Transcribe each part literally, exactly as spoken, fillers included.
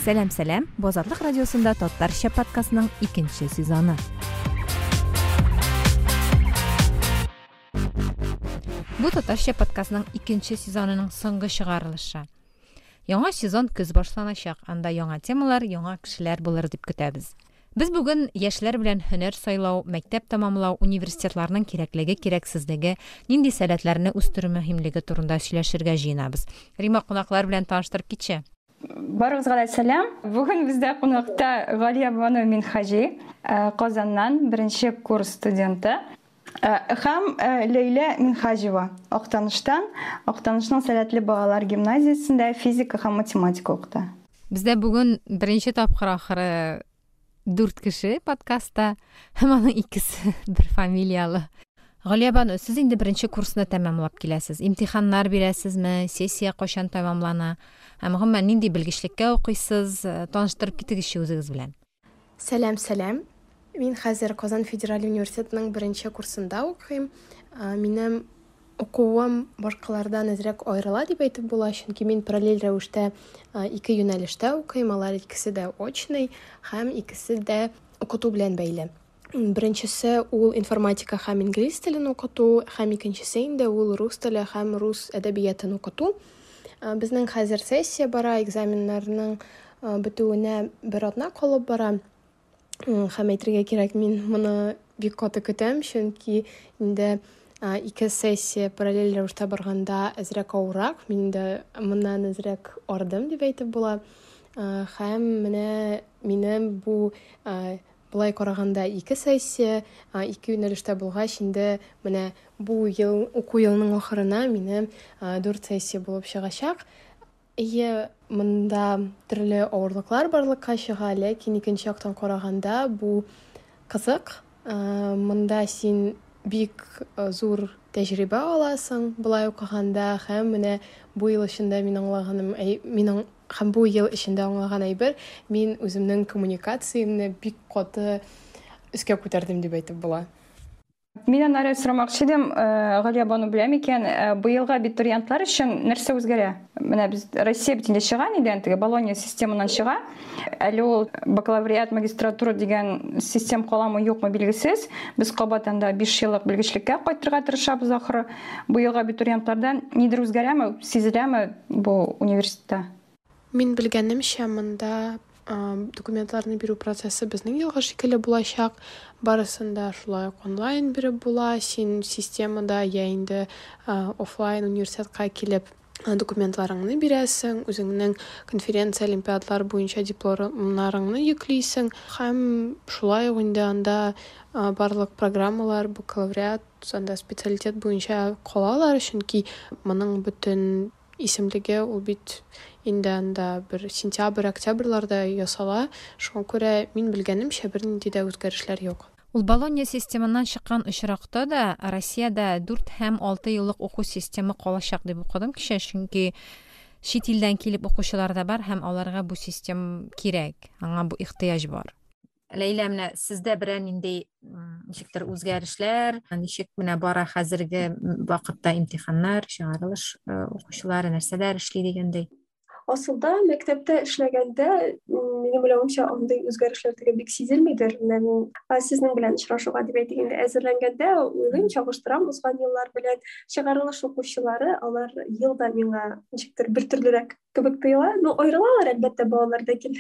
Сәлам, сәлам! Бу Азатлык радиосында Татарча подкастның икенче сезоны. Бу Татарча подкастның икенче сезонының соңгы чыгарылышы. Яңа сезон көз башланачак. Анда яңа темалар, яңа кешеләр булыр дип көтәбез. Без бүген яшьләр белән һөнәр сайлау, мәктәп тәмамлау, университетларның кирәклеге, кирәксезлеге, нинди сәләтләрне үстерү мөһимлеге турында сөйләшергә җыенабыз. Рима, кунаклар белән таныштырып китче. Барыгызга да сәлам. Бүген бездә кунакта Галия Бану Минхаҗи, Казаннан беренче курс студенты. Һәм Ләйлә Минхаҗева, Актаныштан, Актанышның сәләтле балалар гимназиясендә физика һәм математика укыта. Бездә бүген беренче тапкыр ахыры дүрт кеше подкастта, һәм аның икесе бер фамилиялы. Галия Бану, сез инде беренче курсны тәмамлап киләсез. Имтиханнар бирәсезме? Сессия кайчан тәмамлана? Һәм гомумән нинди белгечлеккә укыйсыз? Таныштырып китегезче үзегез белән. Сәлам, сәлам. Мин хәзер Казан федераль университетының беренче курсында укыйм. Минем укуым башкалардан әзрәк аерыла дип әйтеп була, чөнки мин параллель рәвештә ике юнәлештә укыйм, алар икесе дә очный һәм икесе дә укыту белән бәйле. Беренчесе ул информатика һәм инглиз телен укыту, һәм икенчесе инде ул рус теле һәм рус әдәбиятын укыту. Безнең хәзер сессия бара, экзаменнарның бетүенә бер атна калып бара. Һәм әйтергә кирәк, мин моны бик каты көтәм, чөнки инде ике сессия параллель рәвештә барганда әзрәк авыррак, мин инде моннан әзрәк ардым дип әйтеп була. Һәм менә минем бу былай караганда ике сессия, ике юнәлештә булгач, инде менә бу ел, уку елының ахырына минем дүрт сессия булып чыгачак. Ие, монда төрле авырлыклар барлыкка чыга, ләкин икенче яктан караганда бу кызык. Монда син бик зур тәҗрибә аласың былай укыганда, һәм менә бу ел эчендә мин аңлаганым, мин һәм бу ел эчендә аңлаган әйбер, мин үземнең коммуникациямне бик каты өскә күтәрдем дип әйтеп була. Мин аннары сорамакчы идем, Галия Бану беләм икән, быелгы абитуриентлар өчен нәрсә үзгәрә? Менә без Россия бит инде чыга нидән, теге Болонья системыннан чыга. Әле ул бакалавриат, магистратура дигән систем каламы, юкмы билгесез. Без кабат анда биш еллык белгечлеккә кайтырга тырышабыз ахыры. Быелгы абитуриентлардан нидер үзгәрәме, сизеләме бу университетта? Мин белгәнемчә, монда документларны бирү процессы безнең елгы шикелле булачак. Барысын да шулай ук онлайн биреп була. Син системада я инде офлайн университетка килеп документларыңны бирәсең, үзеңнең конференция, олимпиадалар буенча дипломнарыңны йөклисең. Һәм шулай ук инде анда барлык программалар, бакалавриат, анда специалитет буенча калалар, чөнки моның бөтен исемлеге ул бит инде анда бер сентябрь, октябрьларда ясала. Шуңа күрә мин белгәнемчә бернинди дә үзгәрешләр юк. Ул Болонья системыннан чыккан очракта да Россиядә дүрт һәм алты еллык уку системы калачак дип укыдым кичә, чөнки чит илдән килеп укучылар да бар һәм аларга бу систем кирәк, аңа бу ихтыяҗ бар. Ләйлә, менә сездә берәр нинди ничектер үзгәрешләр, ничек менә бара хәзерге вакытта имтиханнар, чыгарылыш укучылары нәрсәләр эшли дигәндәй? Асылда мәктәптә эшләгәндә, минем уйлавымча, андый үзгәрешләр теге бик сизелмидер. Менә мин сезнең белән очрашуга дип әйтик инде әзерләнгәндә уйлыйм, чагыштырам узган еллар белән. Чыгарылыш укучылары, алар елда миңа ничектер бер төрлерәк кебек тоела. Ну, аерылалар әлбәттә балалар, ләкин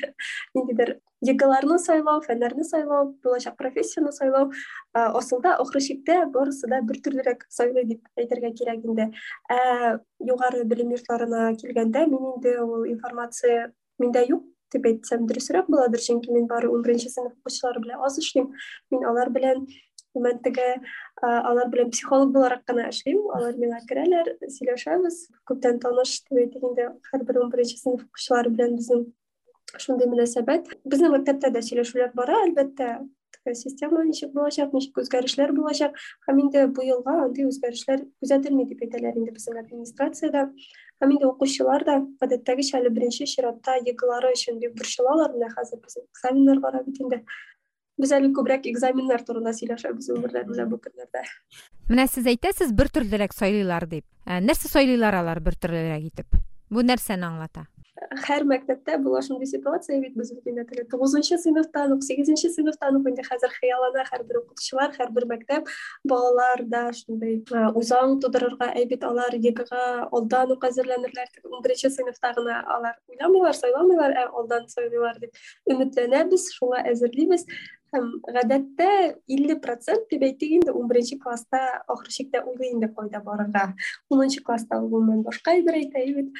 ниндидер ЕГЭларны сайлау, фәннәрне сайлау, булачак профессияне сайлау, асылда ахыр чиктә барысы да бер төрлерәк сайлый дип әйтергә кирәк инде. Ә югары белем йортларына килгәндә, мин инде ул информация миндә юк дип әйтсәм дөресрәк буладыр, чөнки мин бары унберенче сыйныф укучылары белән аз эшлим. Мин алар белән гомумән теге, алар белән психолог буларак кына эшлим. Алар миңа керәләр, сөйләшәбез. Күптән таныш дип әйтик инде, һәрбер унберенче сыйныф укучылары белән безнең шундый мөнәсәбәт. Безнең мәктәптә дә сөйләшүләр бара, әлбәттә, система ничек булачак, ничек үзгәрешләр булачак. Һәм инде бу елга андый үзгәрешләр күзәтелми дип әйтәләр инде безнең администрациядә. Һәм инде укучылар да гадәттәгечә әле беренче чиратта ЕГЭлары өчен бик борчылалар. Менә хәзер безнең экзаменнар бара бит инде. Без әле күбрәк экзаменнар турында сөйләшәбез өмерләр белән бу көннәрдә. Менә сез әйтәсез, бер төрлерәк сайлыйлар дип. Нәрсә сайлыйлар алар бер төрлерәк итеп? Бу нәрсәне аңлата? Һәр мәктәптә була шундый ситуация бит, без бит инде теге тугызынчы сыйныфтан ук, сигезенче сыйныфтан ук инде хәзер хыяллана һәрбер укытучылар, һәрбер мәктәп балалар да шундый үзаң тудырырга, әй бит алар ЕГЭга алдан ук әзерләнерләр, унберенче сыйныфта гына алар уйламыйлар, сайламыйлар, ә алдан сайлыйлар дип өметләнәбез, шуңа әзерлибез. Һәм гадәттә илле процент дип әйтик инде, унберенче класста ахыр чиктә уйлый инде кайда барырга. Унынчы класста ул гомумән башка әйбер әйтә бит.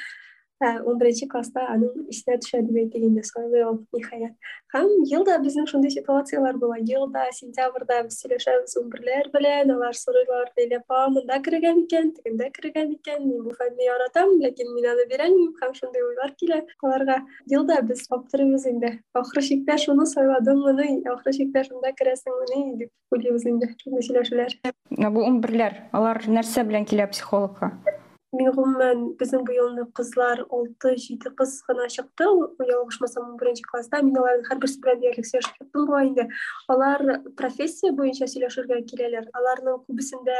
Унберенче класста аның исенә төшә дип әйтик инде, сайлый ул ниһаять. Һәм елда безнең шундый ситуацияләр була. Елда сентябрьдә без сөйләшәбез унберләр белән, алар сорыйлар: "Ләйлә апа, монда керергә микән, тегендә керергә микән? Мин бу фәнне яратам, ләкин мин аны бирәлмим." Һәм шундый уйлар килә аларга. Елда без аптырыйбыз инде. Ахыр чиктә шуны сайладыңмыни, ахыр чиктә шунда керәсеңмени дип уйлыйбыз инде. Шундый сөйләшүләр. Бу унберләр, алар нәрсә белән килә психологка? Мин гомумән безнең бу елны кызлар алты-җиде кыз гына чыкты, ялгышмасам, унберенче класста. Мин аларның һәрберсе белән диярлек сөйләшеп чыктым бугай инде. Алар профессия буенча сөйләшергә киләләр. Аларның күбесендә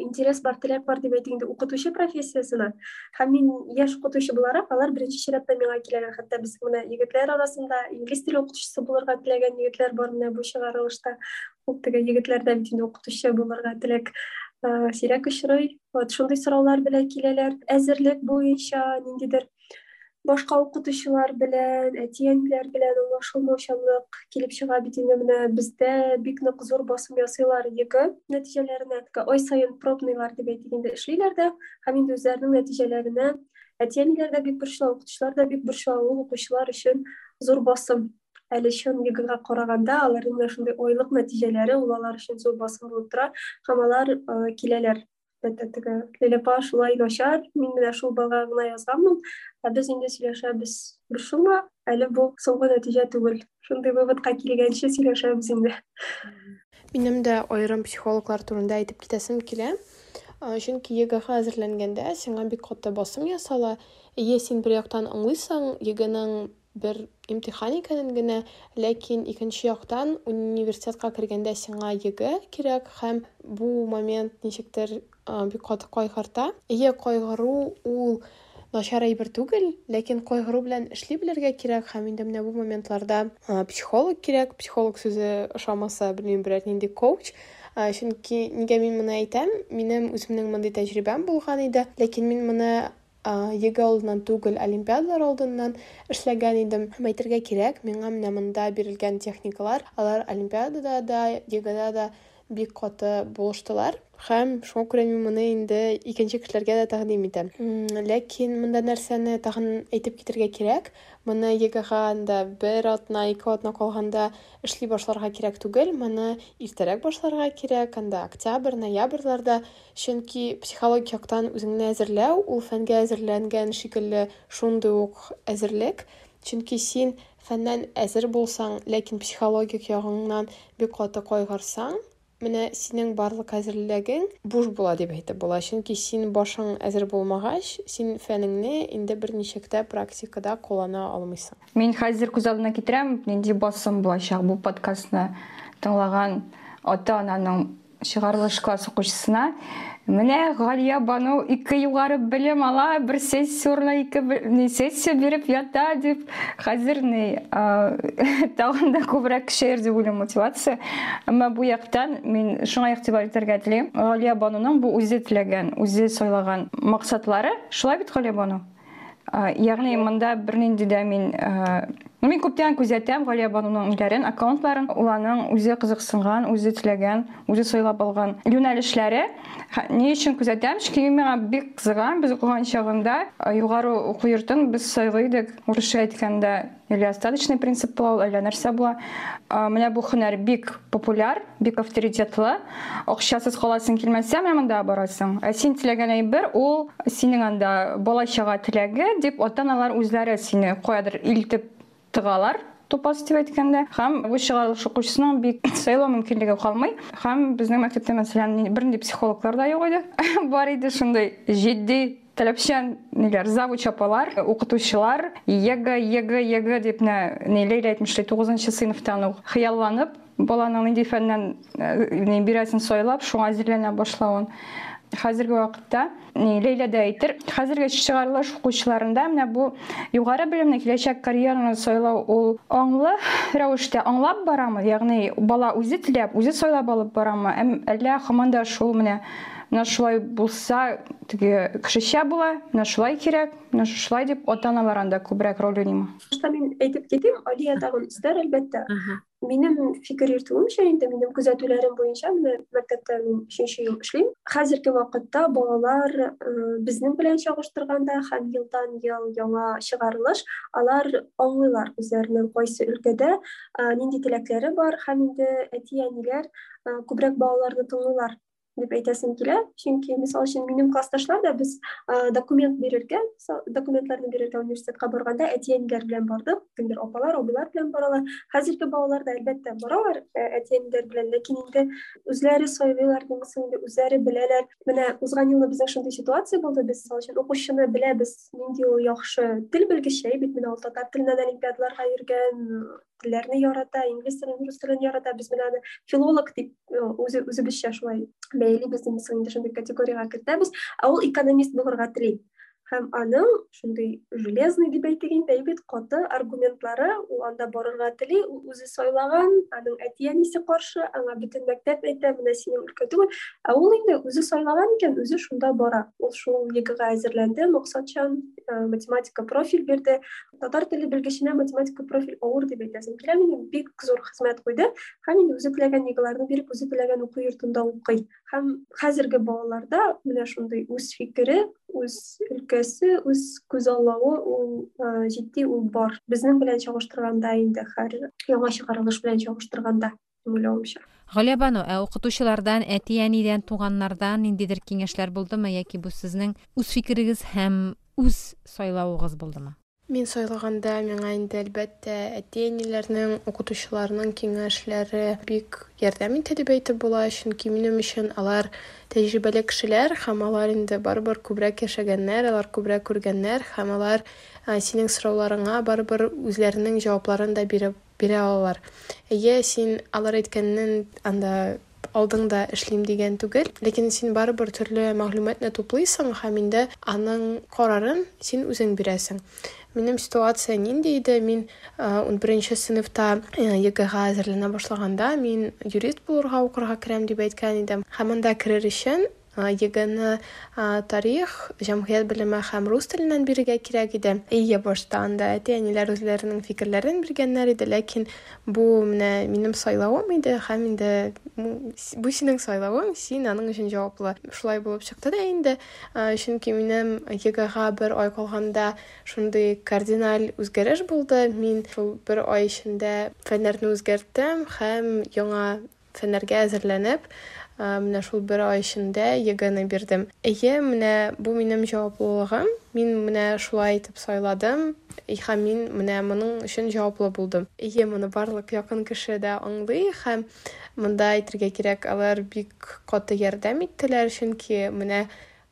интерес бар, теләк бар дип әйтик инде укытучы профессиясенә. Һәм мин яшь укытучы буларак, алар беренче чиратта миңа киләләр. Хәтта без менә егетләр арасында инглиз теле укытучысы булырга теләгән егетләр бар менә бу чыгарылышта. Ул теге егетләрдә бит инде укытучы булырга теләк сирәк очрый. Вот шундый сораулар белән киләләр. Әзерлек буенча ниндидер башка укытучылар белән, әти-әниләр белән аңлашылмаучанлык килеп чыга бит инде. Менә бездә бик нык зур басым ясыйлар ЕГЭ нәтиҗәләренә. Ай саен пробныйлар дип әйтик инде эшлиләр дә, һәм инде үзләренең нәтиҗәләренә әти-әниләр дә бик борчыла, укытучылар да бик борчыла. Ул укучылар өчен зур басым. Әле чын ЕГЭга караганда аларның менә шундый айлык нәтиҗәләре ул алар өчен зур басым булып тора, һәм алар киләләр. Әлбәттә, теге Ләйлә апа шулай начар, мин менә шул балга гына язганмын, ә без инде сөйләшәбез. Борчылма, әле бу соңгы нәтиҗә түгел. Шундый выводка килгәнче сөйләшәбез инде. Минем дә аерым психологлар турында әйтеп китәсем килә. Чөнки ЕГЭга әзерләнгәндә сиңа бик каты басым ясала. Әйе, син бер яктан аңлыйсың ЕГЭның бер имтихан икәнен генә, ләкин икенче яктан университетка кергәндә сиңа ЕГЭ кирәк, һәм бу момент ничектер бик каты кайгырта. Әйе, кайгыру ул начар әйбер түгел, ләкин кайгыру белән эшли белергә кирәк, һәм инде менә бу моментларда психолог кирәк. Психолог сүзе ошамаса, белмим, берәр нинди коуч. Чөнки нигә мин моны әйтәм? Минем үземнең мондый тәҗрибәм булган иде, ләкин мин моны ЕГЭ алдыннан түгел, олимпиадалар алдыннан эшләгән идем. Һәм әйтергә кирәк, миңа менә монда бирелгән техникалар, алар олимпиадада да, ЕГЭда да бик каты булыштылар. Һәм шуңа күрә мин моны инде икенче кешеләргә дә тәкъдим итәм. Ләкин монда нәрсәне тагын әйтеп китергә кирәк, моны ЕГЭга анда бер атна, ике атна калганда эшли башларга кирәк түгел, моны иртәрәк башларга кирәк, анда октябрь, ноябрьләрдә, чөнки психологик яктан үзеңне әзерләү, ул фәнгә әзерләнгән шикелле шундый ук әзерлек, чөнки син фәннән әзер булсаң, ләкин психологик ягыңнан бик каты кайгырсаң, менә синең барлык әзерлегең буш була дип әйтеп була, чөнки син башың әзер булмагач, син фәнеңне инде берничек тә практикада куллана алмыйсың. Мин хәзер күз алдына китерәм, нинди басым булачак бу подкастны тыңлаган ата-ананың чыгарылыш класс укучысына. Менә Галия Бану ике югары белем ала, бер сессия урынына ике не сессия биреп ята дип, хәзер ни тагын да күбрәк көчәер дип уйлыйм мотивация. Әмма бу яктан мин шуңа игътибар итәргә телим. Галия Бануның бу үзе теләгән, үзе сайлаган максатлары, шулай бит, Галия Бану? Ягъни монда бернинди дә мин мин күптән күзәтәм Галия Бануның ниләрен, аккаунтларын. Ул аның үзе кызыксынган, үзе теләгән, үзе сайлап алган юнәлешләре. Ни өчен күзәтәм? Чөнки миңа бик кызыган. Без укыган чагында югары уку йортын без сайлый идек. Урысча әйткәндә, или остаточный принцип була, әллә нәрсә була. Менә бу һөнәр бик популяр, бик авторитетлы. Акчасыз каласың килмәсә, менә монда барасың. Ә син теләгән әйбер ул синең анда бала-чага теләге дип ата-аналар үзләре сине каядыр илтеп тыгалар, тупас дип әйткәндә. Һәм бу чыгарылыш укучысының бик сайлау мөмкинлеге калмый. Һәм безнең мәктәптә, мәсәлән, бернинди психологлар да юк иде. Бар иде шундый җитди таләпчән ниләр, завуч апалар, укытучылар, ЕГЭ, ЕГЭ, ЕГЭ дип менә ни Ләйлә әйтмешли, тугызынчы сыйныфтан ук хыялланып, баланың нинди фәннән ни бирәсен сайлап, шуңа әзерләнә башлавын. Хәзерге вакытта, Ләйлә дә әйтер, хәзерге чыгарылыш укучыларында менә бу югары белемне, киләчәк карьераны сайлау ул аңлы рәвештә аңлап барамы? Ягъни бала үзе теләп, үзе сайлап алып барамы? Әллә һаман да шул менә менә шулай булса, теге кешечә була, менә шулай кирәк, менә шулай дип ата-аналар анда күбрәк роль уйныймы? Башта мин әйтеп китим, Алия тагын өстәр, әлбәттә. Минем фикер йөртүемчә, инде минем күзәтүләрем буенча, менә мәктәптә мин өченче ел эшлим. Хәзерге вакытта балалар безнең белән чагыштырганда һәм елдан ел яңа чыгарылыш, алар аңлыйлар үзләренең кайсы өлкәдә нинди теләкләре бар, һәм инде әти-әниләр күбрәк балаларны тыңлыйлар дип әйтәсем килә. Чөнки, мисал өчен, минем классташлар да без документ бирергә, документларны бирергә университетка барганда әти-әниләр белән бардык, кемдер апалар, абыйлар белән баралар. Хәзерге балалар да әлбәттә баралар әти-әниләр белән, ләкин инде үзләре сайлыйлар, димәсең инде үзләре беләләр. Менә узган елны безнең шундый ситуация булды, без мисал өчен укучыны беләбез, нинди ул яхшы тел белгече, бит менә ул татар теленнән олимпиадаларга йөргән, телләрне ярата, инглиз телен, рус телен ярата. Без менә аны филолог дип үзе үзебезчә шулай бәялибез, димәсең инде шундый категориягә кертәбез. Ә ул экономист булырга тели. Һәм аның шундый железный дип әйтик инде, бит каты аргументлары, ул анда барырга тели, ул үзе сайлаган, аның әти-әнисе каршы, аңа бөтен мәктәп әйтә, менә синең өлкә түгел. Ә ул инде үзе сайлаган икән, үзе шунда бара. Ул шул ЕГЭга әзерләнде, максатчан математика профиль бирде. Татар теле белгеченә математика профиль авыр дип әйтәсем килә, минем бик зур хезмәт куйды. Һәм инде үзе теләгән ЕГЭларны биреп, үзе теләгән уку йортында укый. Һәм хәзерге балаларда менә шундый үз фикере, үз өлкәсе, үз күзаллавы ул җитди, ул бар. Безнең белән чагыштырганда инде, һәр яңа чыгарылыш белән чагыштырганда, уйлавымча. Галиябану, ә укытучылардан, әти-әнидән, туганнардан ниндидер киңәшләр булдымы, яки бу сезнең үз фикерегез һәм үз сайлавыгыз булдымы? Мин сайлаганда миңа инде әлбәттә әти-әниләрнең, укытучыларның киңәшләре бик ярдәм итте дип әйтеп була, чөнки минем өчен алар тәҗрибәле кешеләр һәм алар инде барыбер күбрәк яшәгәннәр, алар күбрәк күргәннәр һәм алар синең сорауларыңа барыбер үзләренең җавапларын да биреп бирә алалар. Әйе, син алар әйткәннән анда алдың да эшлим дигән түгел, ләкин син барыбер төрле мәгълүматны туплыйсың һәм инде аның карарын син үзең бирәсең. Минем ситуация нинди иде? Мин ун беренче сыйныфта ЕГЭга әзерләнә башлаганда, мин юрист булырга укырга керәм дип әйткән идем. Һәм анда керер өчен ЕГЭны тарих, җәмгыять белеме һәм рус теленнән бирергә кирәк иде. Әйе, башта анда әти-әниләр үзләренең фикерләрен биргәннәр иде, ләкин бу менә минем сайлавым иде һәм инде бу синең сайлавың, син аның өчен җаваплы. Шулай булып чыкты да инде, чөнки минем ЕГЭга бер ай калганда шундый кардиналь үзгәреш булды. Мин шул бер ай эчендә фәннәрне үзгәрттем һәм яңа фәннәргә әзерләнеп, менә шул бер ай эчендә ЕГЭны бирдем. Әйе, менә бу минем җаваплылыгым. Мин менә шулай итеп сайладым һәм мин менә моның өчен җаваплы булдым. Әйе, моны барлык якын кеше дә аңлый һәм монда әйтергә кирәк, алар бик каты ярдәм иттеләр, чөнки менә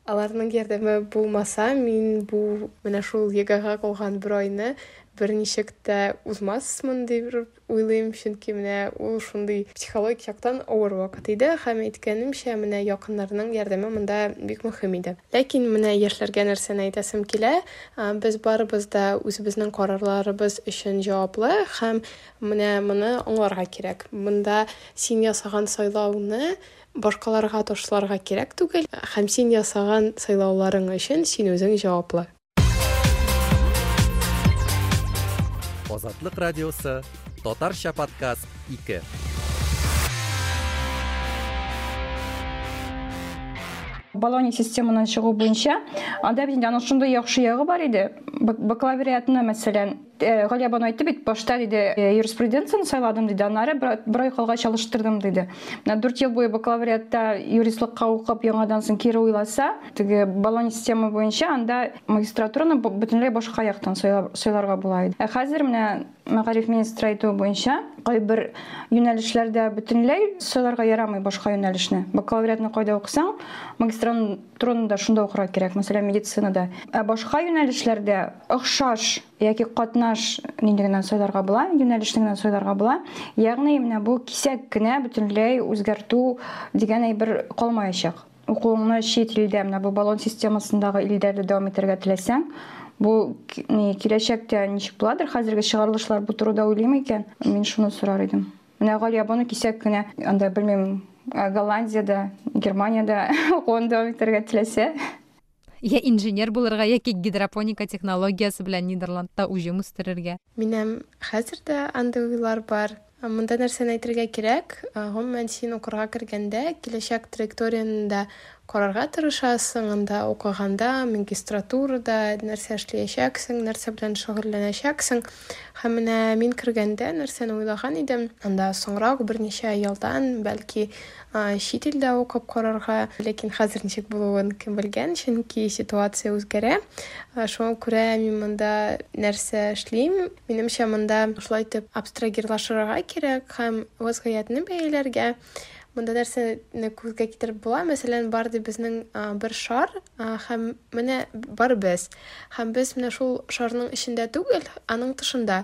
аларның ярдәме булмаса, мин бу менә шул ЕГЭга калган бер айны берничек тә узмасмын дип уйлыйм, чөнки менә ул шундый психологик яктан авыр вакыт иде һәм әйткәнемчә, менә якыннарның ярдәме монда бик мөһим иде. Ләкин менә яшьләргә нәрсәне әйтәсем килә, без барыбыз да үзебезнең карарларыбыз өчен җаваплы һәм менә моны аңларга кирәк. Монда син ясаган сайлауны башкаларга ташларга кирәк түгел һәм син ясаган сайлауларың өчен син үзең җаваплы. Азатлык радиосы, Татарча подкаст ике. Болонья системадан чыгу буенча, анда бит инде аның шундый яхшы ягы бар иде. Бакалавриатны, мәсәлән, Галиябану әйтте бит, башта диде, юриспруденцияны сайладым диде, аннары бер ай калгач алыштырдым диде. Менә дүрт ел буе бакалавриатта юристлыкка укып, яңадан соң кире уйласа, теге Болонья система буенча анда магистратураны бөтенләй башка яктан сайларга була иде. Ә хәзер менә мәгариф министры әйтүе буенча, кайбер юнәлешләрдә бөтенләй сайларга ярамый башка юнәлешне. Бакалавриатны кайда укысаң, магистратураны да шунда укырга кирәк, мәсәлән, медицинада. Ә башка юнәлешләрдә охшаш яки катнаш нинди генә сайларга була, юнәлешне генә сайларга була. Ягъни менә бу кисәк кенә бөтенләй үзгәртү дигән әйбер калмаячак. укуыңны чит илдә, менә бу Болон системасындагы илдәрдә дәвам итәргә теләсәң, бу ни киләчәктә ничек буладыр? Хәзерге чыгарылышлар бу турыда уйлыймы икән? Мин шуны сорар идем. Менә Галия Бану кисәк кенә анда белмим, Голландиядә, Германиядә укуын дәвам итәргә теләсә, я инженер булырга, яки гидропоника технологиясе белән Нидерландта уҗым үстерергә. Минем хәзер дә андый уйлар бар. Монда нәрсәне әйтергә кирәк? Гомумән, син укырга кергәндә киләчәк траекторияне дә карарга тырышасың, анда укыганда, магистратурада нәрсә эшләячәксең, нәрсә белән шөгыльләнәчәксең. Һәм менә мин кергәндә нәрсәне уйлаган идем? Анда соңрак берничә елдан бәлки чит илдә укып карарга, ләкин хәзер ничек булуын кем белгән, чөнки ситуация үзгәрә. Шуңа күрә мин монда нәрсә эшлим? Минемчә, монда шулай итеп абстрагирлашырга кирәк һәм вазгыятьне бәяләргә. Монда нәрсәне күзгә китереп була? Мәсәлән, бар ди безнең бер шар, һәм менә бар без. Һәм без менә шул шарның эчендә түгел, аның тышында.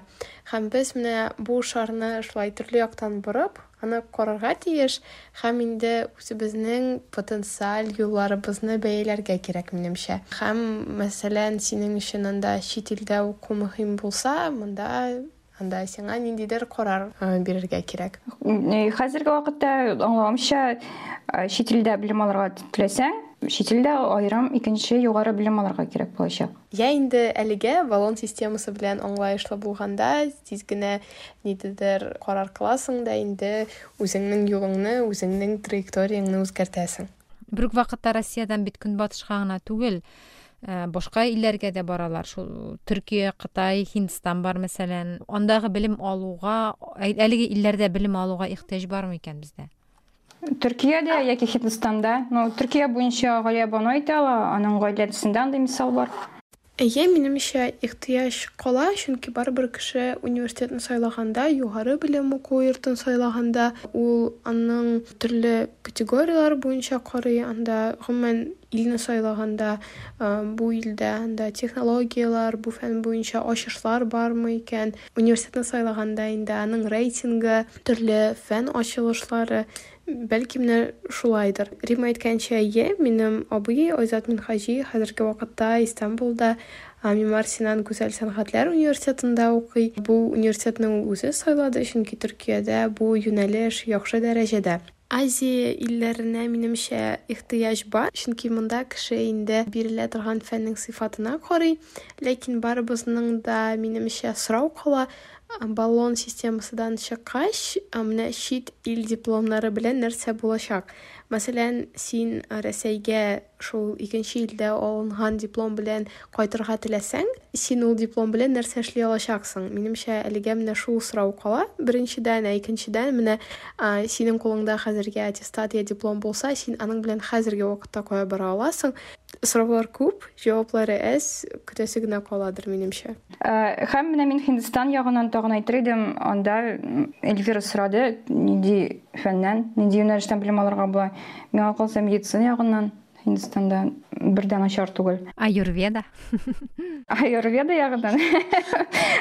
Һәм без менә бу шарны шулай төрле яктан борып, аны карарга тиеш һәм инде үзебезнең потенциаль юлларыбызны бәяләргә кирәк, минемчә. Һәм, мәсәлән, синең өчен анда чит илдә уку мөһим булса, монда анда сиңа ниндидер карар бирергә кирәк. Хәзерге вакытта аңлавымча, чит илдә белем алырга теләсәң, чит илдә аерым икенче югары белем алырга кирәк булачак. Я инде әлегә Болон системасы белән аңлаешлы булганда, тиз генә ниндидер карар кыласың да инде үзеңнең юлыңны, үзеңнең траекторияңне үзгәртәсең. Бер үк вакытта Россиядән бит көнбатышка гына түгел, башка илләргә дә баралар. Шул Төркия, Кытай, Һиндстан бар мәсәлән. Андагы белем алуга, әлеге илләрдә белем алуга ихтыяҗ бармы икән бездә? Төркиядә яки Һиндстанда. Ну, Төркия буенча Галия Бану әйтә ала, аның гаиләсендә андый мисал бар. Әйе, минемчә, ихтыяҗ кала, чөнки барыбер кеше университетны сайлаганда, югары белем уку йортын сайлаганда, ул аның төрле категорияләр буенча карый, анда гомумән илне сайлаганда, бу илдә анда технологияләр, бу фән буенча ачышлар бармы икән. Университетны сайлаганда инде аның рейтингы, төрле фән ачылышлары, бәлки менә шулайдыр. Рима әйткәнчә, әйе, минем абый Айзат Минһаҗи хәзерге вакытта Истанбулда Мимар Синан Гүзәл сәнгатьләр университетында укый. Бу университетны ул үзе сайлады, чөнки Төркиядә бу юнәлеш яхшы дәрәҗәдә. Азия илләренә минемчә ихтыяҗ бар, чөнки монда кеше инде бирелә торган фәннең сыйфатына карый, ләкин барыбызның да минемчә сорау кала. Болон системасыдан чыккач, менә чит ил дипломнары белән нәрсә булачак? Мәсәлән, син Рәсәйгә шул икенче илдә алынган диплом белән кайтырга теләсәң, син ул диплом белән нәрсә эшли алачаксың? Минемчә, әлегә менә шул сорау кала. Беренчедән, ә икенчедән, менә синең кулыңда хәзергә аттестат я диплом булса, син аның белән хәзерге вакытта кая бара аласың? Сораулар күп, җаваплары әз, көтәсе генә каладыр, минемчә. Һәм менә мин Һиндстан ягыннан тагын әйтер идем, анда Эльвира сорады, нинди фәннән, нинди юнәлештән белем алырга була. Миңа калса, медицина ягыннан Һиндстанда бер дә начар түгел. Аюрведа. Аюрведа ягыннан.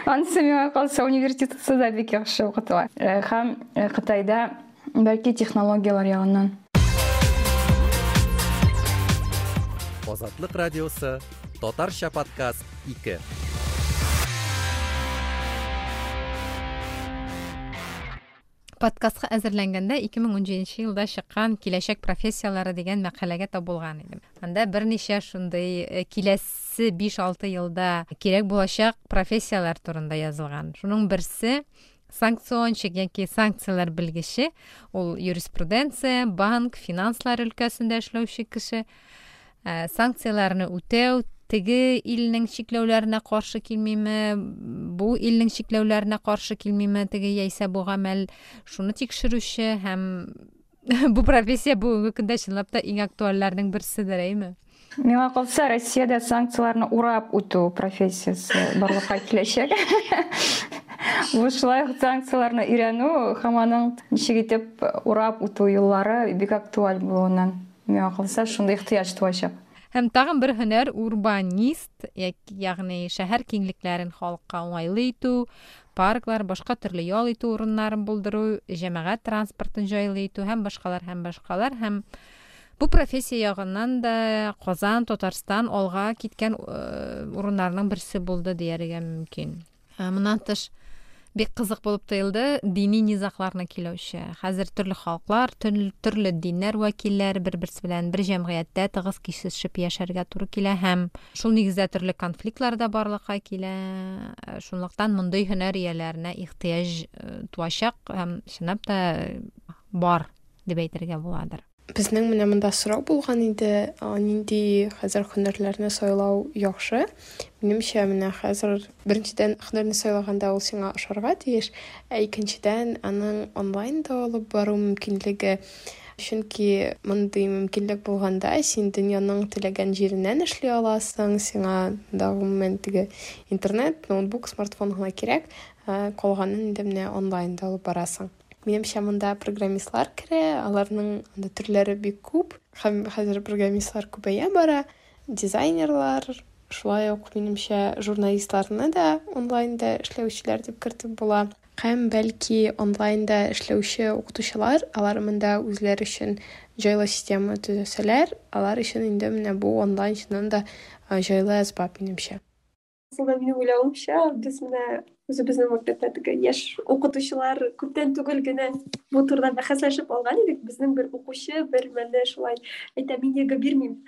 Анысы миңа калса, университетта да бик яхшы укытыла. Һәм Кытайда бәлки технологияләр ягыннан. Азатлык радиосы, Татарча подкаст ике. Подкастка әзерләнгәндә ике мең унҗиденче елда чыккан Киләчәк профессияләре дигән мәкаләгә тап булган идем. Анда берничә шундый киләсе биш-алты елда кирәк булачак профессияләр турында язылган. Шуның берсе санкциончик яки санкцияләр белгече, ул юриспруденция, банк, финанслар өлкәсендә эшләүче кеше. Санкцияләрне үтәү, теге илнең чикләүләренә каршы килмиме, бу илнең чикләүләренә каршы килмиме, теге яисә бу гамәл, шуны тикшерүче һәм бу профессия бүгенге көндә чынлап та иң актуальләрнең берседер, әйме? Миңа калса, Россиядә санкцияләрне урап үтү профессиясе барлыкка киләчәк. Бу шулай ук санкцияләрне өйрәнү һәм аның ничек итеп урап үтү юллары бик актуаль булуыннан. Миңа калса, шундый ихтыяҗ туачак. Һәм тагын бер һөнәр урбанист, ягъни шәһәр киңлекләрен халыкка уңайлы итү, парклар, башка төрле ял итү урыннарын булдыру, җәмәгать транспортын җайлы итү һәм башкалар һәм башкалар. Һәм Бу профессия ягыннан да Казан, Татарстан алга киткән урыннарның берсе булды дияргә мөмкин. Моннан тыш бик кызык булып тоелды дини низагларны килүче. Хәзер төрле халыклар, төрле диннәр вәкилләре бер-берсе белән бер җәмгыятьтә тыгыз кисешеп яшәргә туры килә һәм шул нигездә төрле конфликтлар да барлыкка килә. Шунлыктан мондый һөнәр ияләренә ихтыяҗ туачак һәм чынлап та бар дип әйтергә буладыр. Безнең менә монда сорау булган иде, нинди хәзер һөнәрләрне сайлау яхшы. Минемчә, менә хәзер беренчедән һөнәрне сайлаганда ул сиңа ошарга тиеш, ә икенчедән аның онлайн да алып бару мөмкинлеге. Чөнки мондый мөмкинлек булганда син дөньяның теләгән җиреннән эшли аласың, сиңа да гомумән теге интернет, ноутбук, смартфон гына кирәк, калганын инде менә онлайн да алып барасың. Минемчә, монда программистлар керә, аларның анда төрләре бик күп, һәм хәзер программистлар күбәя бара, дизайнерлар, шулай ук минемчә журналистларны да онлайнда эшләүчеләр дип кертеп була. Һәм бәлки онлайнда эшләүче укытучылар, алар монда үзләре өчен җайлы система төзәсәләр, алар өчен инде менә бу онлайн чыннан да җайлы әсбап минемчә. Асылда минем уйлавымча, без менә үзебезнең мәктәптә теге яшь укытучылар күптән түгел генә бу турыда бәхәсләшеп алган идек. Безнең бер укучы бер мәлдә шулай әйтә, мин ЕГЭ бирмим.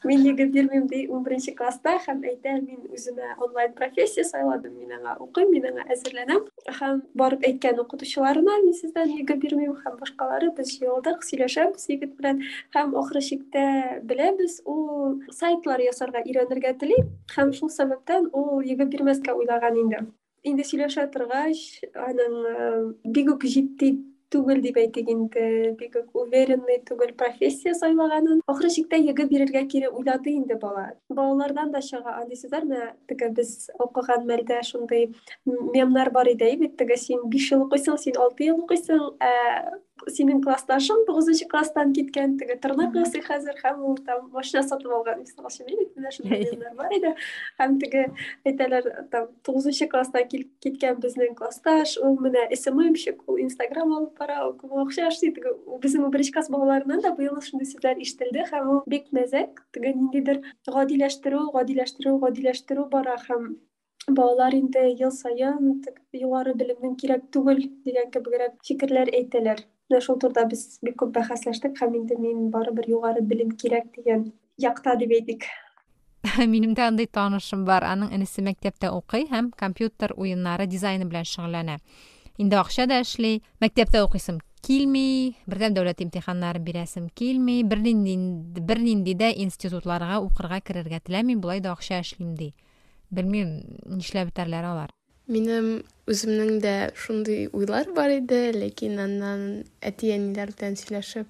Мин ЕГЭ бирмим ди ун беренче класста һәм әйтә, мин үземә онлайн профессия сайладым, мин аңа укыйм, мин аңа әзерләнәм. Һәм барып әйткән укытучыларына, мин сездән ЕГЭ бирмим һәм башкалары, без җыелдык, сөйләшәбез егет белән һәм ахыр чиктә беләбез, ул сайтлар ясарга өйрәнергә тели һәм шул сәбәптән ул ЕГЭ бирмәскә уйлаган инде. Инде сөйләшә торгач, аның бик үк җитди түгел дип әйтик инде, бик үк уверенный түгел профессия сайлаганын. Ахыр чиктә ЕГЭ бирергә кире уйлады инде бала. Балалардан да чыга андый сүзләр. Менә теге без укыган мәлдә шундый мемнар бар иде бит, теге син биш ел укыйсың, син алты ел укыйсың, ә синең классташың тугызынчы класстан киткән, теге тырнак ясый хәзер һәм ул там машина сатып алган, мисал өчен, бит менә шундый мемнар бар иде. Һәм теге әйтәләр, там тугызынчы класстан киткән безнең классташ, ул менә СММщик, ул Инстаграм алып бара, ул күп акча эшли. Теге безнең беренче класс балаларыннан да быел шундый сүзләр ишетелде һәм ул бик мәзәк, теге ниндидер гадиләштерү, гадиләштерү, гадиләштерү бара һәм балалар инде ел саен югары белемнең кирәк түгел дигән кебегрәк фикерләр әйтәләр. Менә шул турыда без бик күп бәхәсләштек һәм инде мин барыбер югары белем кирәк дигән якта дип әйтик. Минем дә андый танышым бар, аның энесе мәктәптә укый һәм компьютер уеннары дизайны белән шөгыльләнә. Инде акча да эшли, мәктәптә укыйсым килми, бердәм дәүләт имтиханнарын бирәсем килми, бернинди бернинди дә институтларга укырга керергә теләмим, болай да акча эшлим ди. Белмим, нишләп бетәрләр алар. Минем үземнең дә шундый уйлар бар иде, ләкин аннан әти-әниләр белән сөйләшеп,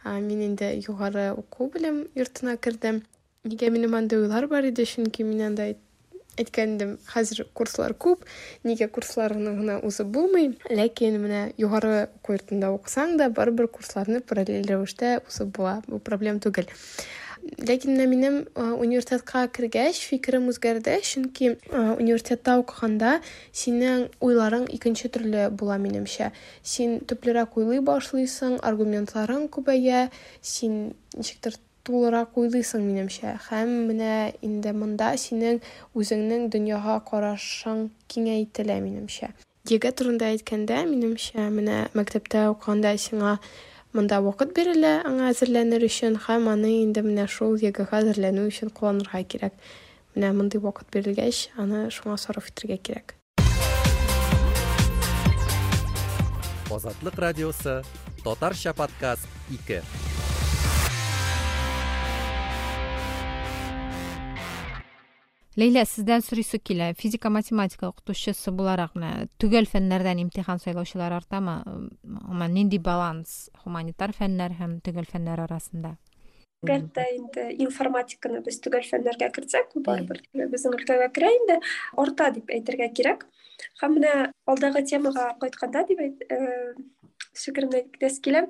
мин инде югары уку белем йортына кердем. Нигә минем андый уйлар бар иде? Чөнки мин анда әйткән идем, хәзер курслар күп, нигә курсларны гына узып булмый. Ләкин менә югары уку йортында укысаң да, барыбер курсларны параллель рәвештә узып була. Бу проблем түгел. Ләкин менә минем университетка кергәч фикерем үзгәрде, чөнки университетта укыганда синең уйларың икенче төрле була минемчә. Син төплерәк уйлый башлыйсың, аргументларың күбәя, син ничектер тулырак уйлыйсың минемчә. Һәм менә инде монда синең үзеңнең дөньяга карашың киңәйтелә минемчә. ЕГЭ турында әйткәндә, минемчә, менә мәктәптә укыганда сиңа монда вакыт бирелә аңа әзерләнер өчен, һәм аны инде менә шул ЕГЭгә әзерләнү өчен кулланырга кирәк. Менә мондый вакыт бирелгәч, аны шуңа сарыф итәргә кирәк. Азатлык радиосы, Татарча подкаст ике. Ләйлә, сездән сорыйсы килә. Физика, математика укытучысы буларак, менә төгәл фәннәрдән имтихан сайлаучылар артамы? Гомумән, нинди баланс гуманитар фәннәр һәм төгәл фәннәр арасында? Әгәр инде информатиканы без төгәл фәннәргә кертсәк, барыбер безнең өлкәгә керә инде, арта дип әйтергә кирәк. Һәм менә алдагы темага кайтканда дип әйт, фикеремне әйтәсе килә.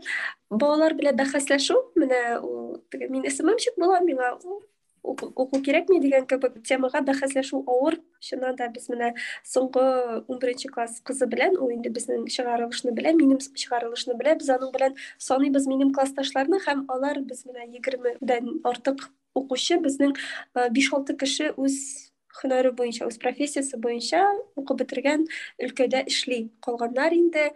Балалар белән бәхәсләшү, менә ул теге мин СММщик булам, миңа уку кирәкми дигән кебек темага бәхәсләшү авыр. Чыннан да без менә соңгы ун беренче класс кызы белән, ул инде безнең чыгарылышны белә, минем чыгарылышны белә, без аның белән саныйбыз минем классташларны һәм алар без менә егермедән артык укучы, безнең биш-алты кеше үз һөнәре буенча, үз профессиясе буенча укып бетергән өлкәдә эшли. Калганнар инде,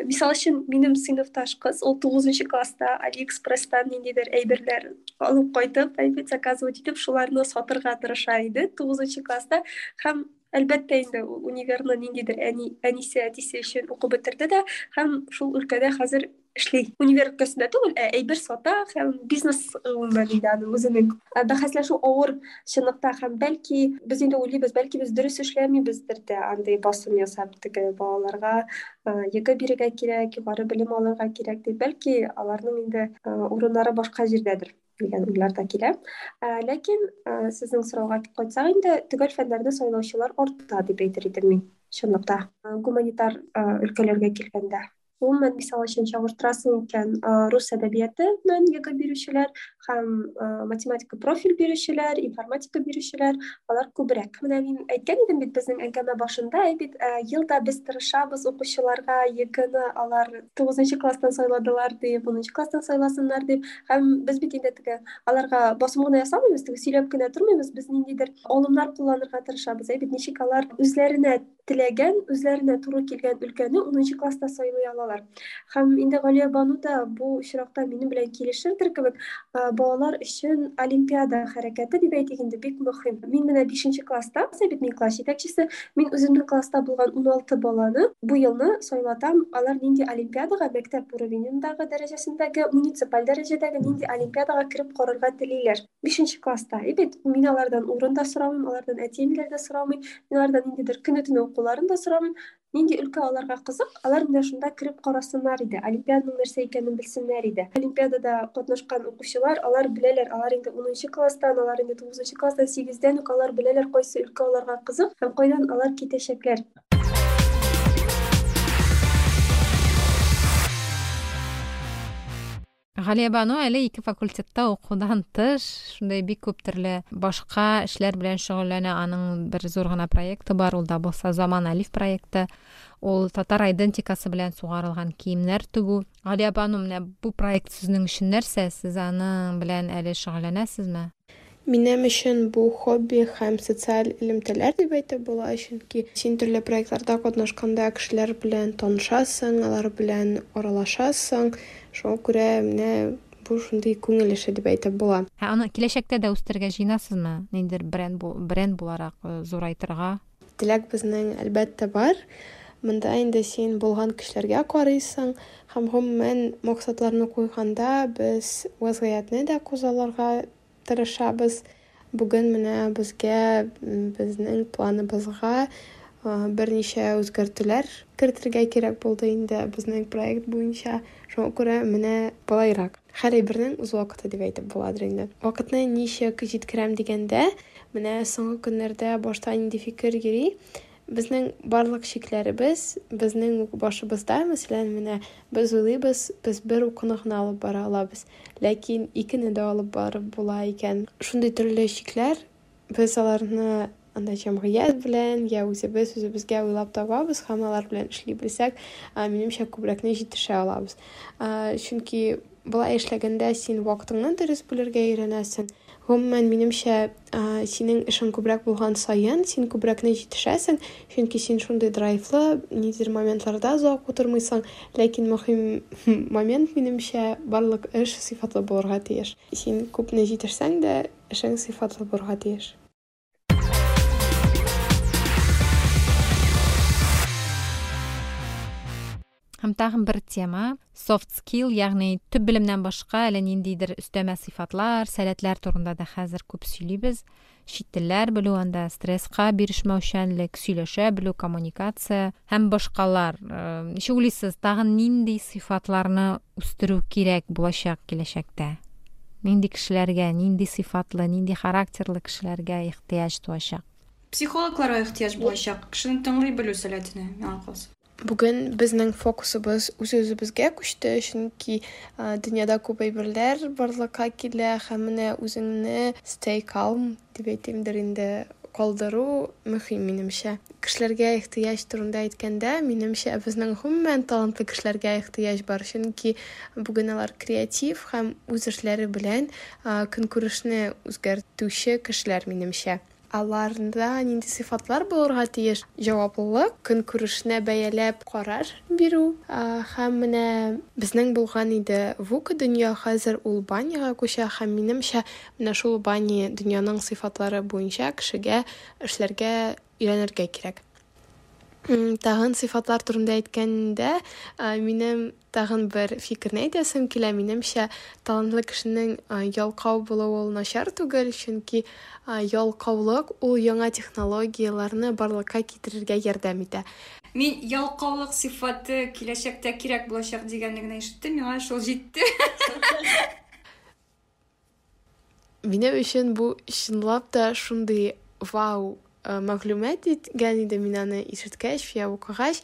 мисал өчен, минем сыйныфташ кыз, ул тугызынчы класста Алиэкспресстан ниндидер әйберләр алып кайтып, әйбер заказывать итеп, шуларны сатырга тырыша иде тугызынчы класста. Һәм әлбәттә инде ул универны ниндидер әни, әнисе, әтисе өчен укып бетерде дә һәм шул өлкәдә хәзер эшли. Универ өлкәсендә түгел, ә әйбер сата һәм бизнес гомумән инде аның үзенең. Бәхәсләшү авыр чынлыкта һәм бәлки без инде уйлыйбыз, бәлки без дөрес эшләмибездер дә, андый басым ясап теге балаларга ЕГЭ бирергә кирәк, югары белем алырга кирәк дип, бәлки аларның инде урыннары башка җирдәдер дигән уйлар да килә. Ләкин сезнең сорауга кайтсак инде, төгәл фәннәрне сайлаучылар арта дип әйтер идем мин чынлыкта, гуманитар өлкәләргә килгәндә. Гомумән, мисал өчен, чагыштырасың икән, рус әдәбиятыннан ЕГЭ бирүчеләр һәм математика профиль бирүчеләр, информатика бирүчеләр, алар күбрәк. Менә мин әйткән идем бит безнең әңгәмә башында, бит елда без тырышабыз укучыларга ЕГЭны алар тугызынчы класстан сайладылар дип, унынчы класстан сайласыннар дип, һәм без бит инде теге аларга басым гына ясамыйбыз, теге сөйләп кенә тормыйбыз, без ниндидер алымнар кулланырга тырышабыз, бит ничек алар үзләренә теләгән, үзләренә туры килгән өлкәне унынчы класста сайлый алалар. Һәм инде Галия Бану да бу очракта минем белән килешердер кебек, балалар өчен олимпиада хәрәкәте дип әйтик инде бик мөһим. Мин менә бишенче класста, бит мин класс җитәкчесе, мин үземнең класста булган ун алты баланы бу елны сайлатам, алар нинди олимпиадага, мәктәп уровенендагы дәрәҗәсендәге, муниципаль дәрәҗәдәге нинди олимпиадага кереп карарга телиләр. Бишенче класста. И бит мин алардан урын да сорамыйм, алардан әти-әниләр дә сорамыйм, мин алардан ниндидер көне-төне укуларын да сорамыйм. Нинди өлкә аларга кызык, алар менә шунда кереп карасыннар иде, олимпиаданың нәрсә икәнен белсеннәр иде. Олимпиадада катнашкан укучылар, алар беләләр, алар инде унынчы класстан, алар инде тугызынчы класстан, сигездән үк алар беләләр кайсы өлкә аларга кызык һәм кайдан алар китәчәкләр. Галия Бану әле ике факультетта укудан тыш, шундай бик күп төрле башка эшләр белән шөгыльләнә. Аның бер зур гына проекты бар, ул да булса Заман Алиф проекты. Ул татар идентикасы белән сугарылган киемнәр тегү. Галия Бану, менә бу проект сезнең өчен нәрсә? Сез аның белән әле шөгыльләнәсезме? Минем өчен бу хобби һәм социаль элемтәләр дип әйтеп була, чөнки син төрле проектларда катнашканда кешеләр белән танышасың, алар белән аралашасың. Шуңа күрә менә бу шундый күңел эше дип әйтеп була. Ә аны киләчәктә дә үстерергә җыенасызмы? Ниндидер бренд бу, бренд буларак зурайтырга? Теләк безнең әлбәттә бар. Монда инде син булган кешеләргә карыйсың һәм гомумән максатларны куйганда без вазгыятьне дә күзалларга тырышабыз. Бүген менә безгә, безнең планыбызга берничә үзгәртүләр кертергә кирәк булды инде безнең проект буенча. Шуңа күрә менә болайрак. Һәр әйбернең үз вакыты дип әйтеп буладыр инде. Вакытны ничек җиткерәм дигәндә, менә соңгы көннәрдә башта нинди фикер йөри? Безнең барлык чикләребез безнең башыбызда, мәсәлән, менә без уйлыйбыз, без бер укуны гына алып бара алабыз, ләкин икене дә алып барып була икән. Шундый төрле чикләр, без аларны анда җәмгыять белән я үзебез үзебезгә уйлап табабыз һәм алар белән эшли белсәк, минемчә, күбрәкне җитешә алабыз. Чөнки болай эшләгәндә син вакытыңны дөрес бүлергә өйрәнәсең. Гомумән, минемчә, синең эшең күбрәк булган саен, син күбрәкне җитешәсең, чөнки син шундый драйвлы, ниндидер моментларда озак утырмыйсың, ләкин мөһим момент, минемчә, барлык эш сыйфатлы булырга тиеш. Син күпне җитешсәң дә, эшең сыйфатлы булырга тиеш. Һәм тагын бер тема soft skill, ягъни төп белемнән башка әле ниндидер өстәмә сыйфатлар, сәләтләр турында да хәзер күп сөйлибез. Чит телләр белү, анда стресска бирешмәүчәнлек, сөйләшә белү, коммуникация һәм башкалар. Ничек уйлыйсыз, тагын нинди сыйфатларны үстерү кирәк булачак киләчәктә? Нинди кешеләргә, нинди сыйфатлы, нинди характерлы кешеләргә ихтыяҗ туачак? Психологларга ихтыяҗ булачак, кешене тыңлый белү сәләтенә, миңа калса. Бүген безнең фокусыбыз үз-үзебезгә күчте, чөнки дөньяда күп әйберләр барлыкка килә һәм менә үзеңне stay calm дип әйтимдер инде, калдыру мөһим минемчә. Кешеләргә ихтыяҗ турында әйткәндә, минемчә, безнең гомумән талантлы кешеләргә ихтыяҗ бар, чөнки бүген алар креатив һәм үз эшләре белән көнкүрешне үзгәртүче кешеләр минемчә. Аларда нинди сыйфатлар булырга тиеш? Җаваплылык, көнкүрешне бәяләп карар бирү. Һәм менә безнең булган иде ВУКа дөнья, хәзер ул баняга күчә һәм минемчә, менә шул бани дөньяның сыйфатлары буенча кешегә эшләргә өйрәнергә кирәк. Тагын сыйфатлар турында әйткәндә, минем тагын бер фикерне әйтәсем килә. Минемчә, талантлы кешенең ялкау булуы ул начар түгел, чөнки ялкаулык ул яңа технологияләрне барлыкка китерергә ярдәм итә. Мин ялкаулык сыйфаты киләчәктә кирәк булачак дигәнне генә ишеттем, миңа шул җитте. Минем өчен бу чынлап та шундый вау мәгълүмат иткән иде мин аны ишеткәч, я укыгач,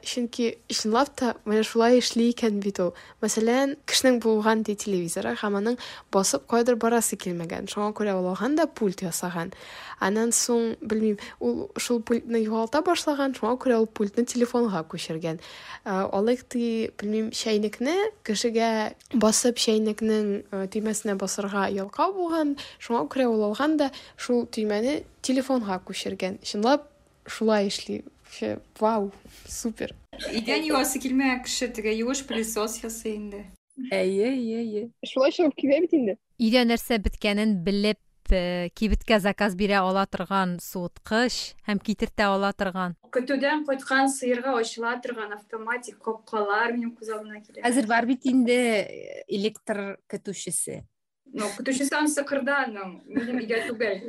чөнки чынлап та менә шулай эшли икән бит ул. Мәсәлән, кешенең булган ди телевизоры һәм аның басып кайдыр барасы килмәгән. Шуңа күрә ул алган да пульт ясаган. Аннан соң, белмим, ул шул пультны югалта башлаган, шуңа күрә ул пультны телефонга күчергән. Алыйк ди, белмим, чәйнекне кешегә басып чәйнекнең төймәсенә басырга ялкау булган, шуңа күрә ул алган да шул төймәне телефонга күчергән. Чынлап шулай эшли. Вообще, вау, супер. Идән юасы килмәгән кеше теге юеш пылесос ясый инде. Әйе, әйе, әйе. Шулай чыгып килә бит инде. Өйдә нәрсә беткәнен белеп, кибеткә заказ бирә ала торган суыткыч һәм китертә ала торган. Көтүдән кайткан сыерга ачыла торган автоматик капкалар минем күз алдына килә. Хәзер бар бит инде электр көтүчесе. Ну, көтүчесе анысы кырда, аның, минем өйдә түгел.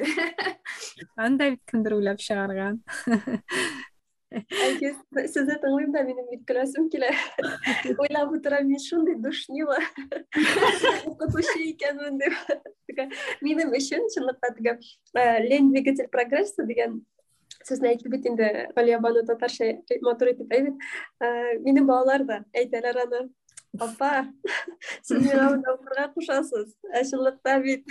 Анда бит кемдер уйлап чыгарган. Әйе, сезне тыңлыйм да, минем бит көләсем килә. Уйлап утырам, мин шундый душнила. Укытучы икәнмен дип. Минем өчен чынлыкта теге лень двигатель прогресса дигән сүзне әйтеп бит инде Галия Бану татарча матур итеп әйтеп. Минем балалар да әйтәләр аны. Апа, сез миңа монда укырга кушасыз. Ә чынлыкта бит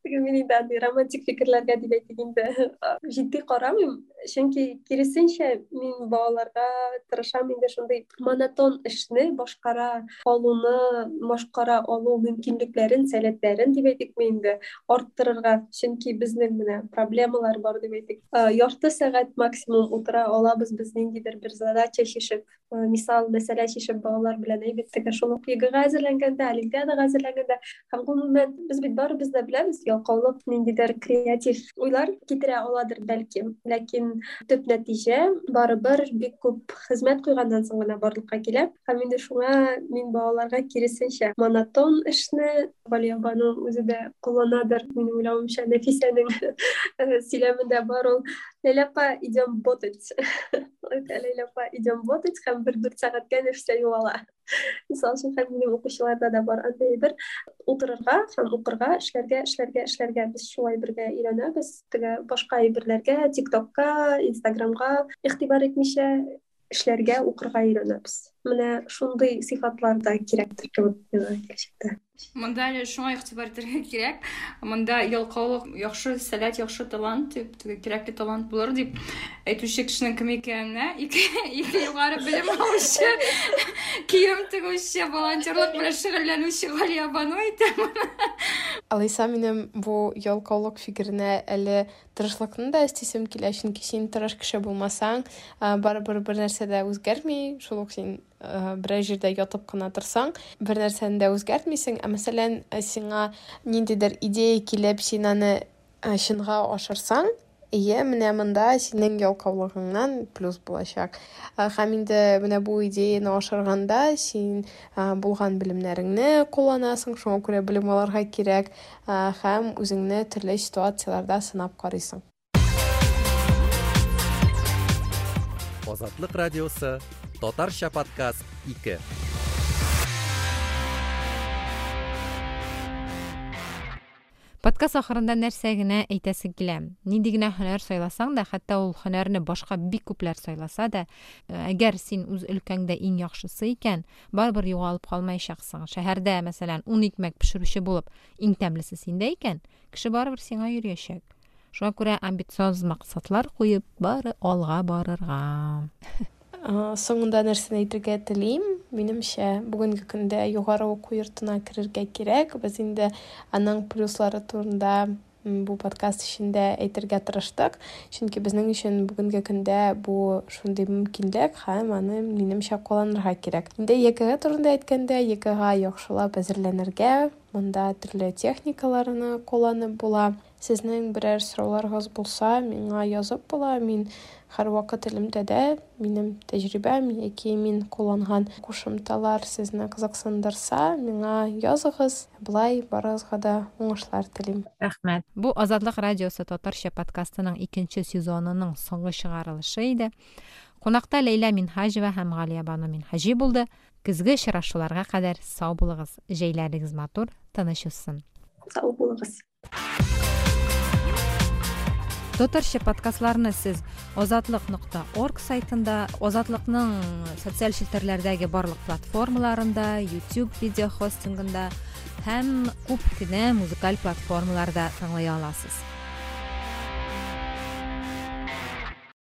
теге мин инде андый романтик фикерләргә дип әйтик инде җитди карамыйм, чөнки киресенчә мин балаларга тырышам инде шундый монотон эшне башкара алуны, башкара алу мөмкинлекләрен, сәләтләрен дип әйтикме инде арттырырга, чөнки безнең менә проблемалар бар дип әйтик. Ярты сәгать максимум утыра алабыз без ниндидер бер задача чишеп, мисал, мәсьәлә чишеп балалар белән әйбәт теге шул ук ЕГЭга әзерләнгәндә, олимпиадага әзерләнгәндә һәм гомумән без бит барыбыз да беләбез, ялкаулык ниндидер креатив уйлар китерә аладыр бәлки, ләкин төп нәтиҗә барыбер бик күп хезмәт куйганнан соң гына барлыкка килә. Һәм инде шуңа мин балаларга киресенчә монотон эшне Галия Бану үзе дә кулланадыр, минем уйлавымча, Нәфисәнең сөйләмендә бар ул. Ләйлә апа, идем ботать. Ләйлә апа, идем ботать һәм бер дүрт сәгатькә Нәфисә югала. Мисал өчен, һәм минем укучыларда да бар андый бер утырырга һәм укырга, эшләргә, эшләргә, эшләргә. Без шулай бергә өйрәнәбез. Теге башка әйберләргә, ТикТокка, Инстаграмга игътибар итмичә эшләргә, укырга өйрәнәбез. Менә шундый сыйфатлар да кирәктер кебек миңа киләчәктә. Монда әле шуңа игътибар итәргә кирәк. Монда ялкаулык яхшы сәләт, яхшы талант дип, теге кирәкле талант булыр дип әйтүче кешенең кем икәненә ике, ике югары белем алучы, кием тегүче, волонтерлык белән шөгыльләнүче Галия Бану әйтә моны. Алайса, минем бу ялкаулык фикеренә әле тырышлыкны да өстисем килә, чөнки син тырыш кеше булмасаң, барыбер бер нәрсә дә үзгәрми, шул ук син берәр җирдә ятып кына торсаң, бер нәрсәне дә үзгәртмисең. Ә мәсәлән, сиңа ниндидер идея килеп, син аны чынга ашырсаң, ие, менә монда синең ялкаулыгыңнан плюс булачак. Һәм инде менә бу идеяны ашырганда син булган белемнәреңне кулланасың, шуңа күрә белем алырга кирәк, һәм үзеңне төрле ситуацияләрдә сынап карыйсың. Азатлык радиосы, Татарча подкаст ике. Подкаст ахырында нәрсә генә әйтәсе килә. Нинди генә һөнәр сайласаң да, хәтта ул һөнәрне башка бик күпләр сайласа да, әгәр син үз өлкәңдә иң яхшысы икән, барыбер югалып калмаячаксың. Шәһәрдә, мәсәлән, ун икмәк пешерүче булып, иң тәмлесе синдә икән, кеше барыбер сиңа йөриячәк. Шуңа күрә амбициоз максатлар куеп, бары алга барырга. Соңында нәрсәне әйтергә телим? Минемчә, бүгенге көндә югары уку йортына керергә кирәк. Без инде аның плюслары турында бу подкаст эчендә әйтергә тырыштык, чөнки безнең өчен бүгенге көндә бу шундый мөмкинлек һәм аны минемчә кулланырга кирәк. Инде ЕГЭ турында әйткәндә, ЕГЭга яхшылап әзерләнергә, монда төрле техникаларны кулланып була. Сезнең берәр сорауларыгыз булса, миңа язып була. Мин һәрвакыт элемтәдә, минем тәҗрибәм яки мин кулланган кушымталар сезне кызыксындырса, миңа языгыз. Болай барыгызга да уңышлар телим. Рәхмәт. Бу Азатлык радиосы татарча подкастының икенче сезонының соңгы чыгарылышы иде. Кунакта Ләйлә Минһаҗева һәм Галиябану Минһаҗи булды. Көзге очрашуларга кадәр сау булыгыз. Җәйләрегез матур, тыныч узсын. Сау булыгыз. Татарча подкастларны сез азатлык нокта орг сайтында, Азатлыкның социаль челтәрләрдәге барлык платформаларында, YouTube видео хостингында һәм күп кенә музыкаль платформаларда тыңлый аласыз.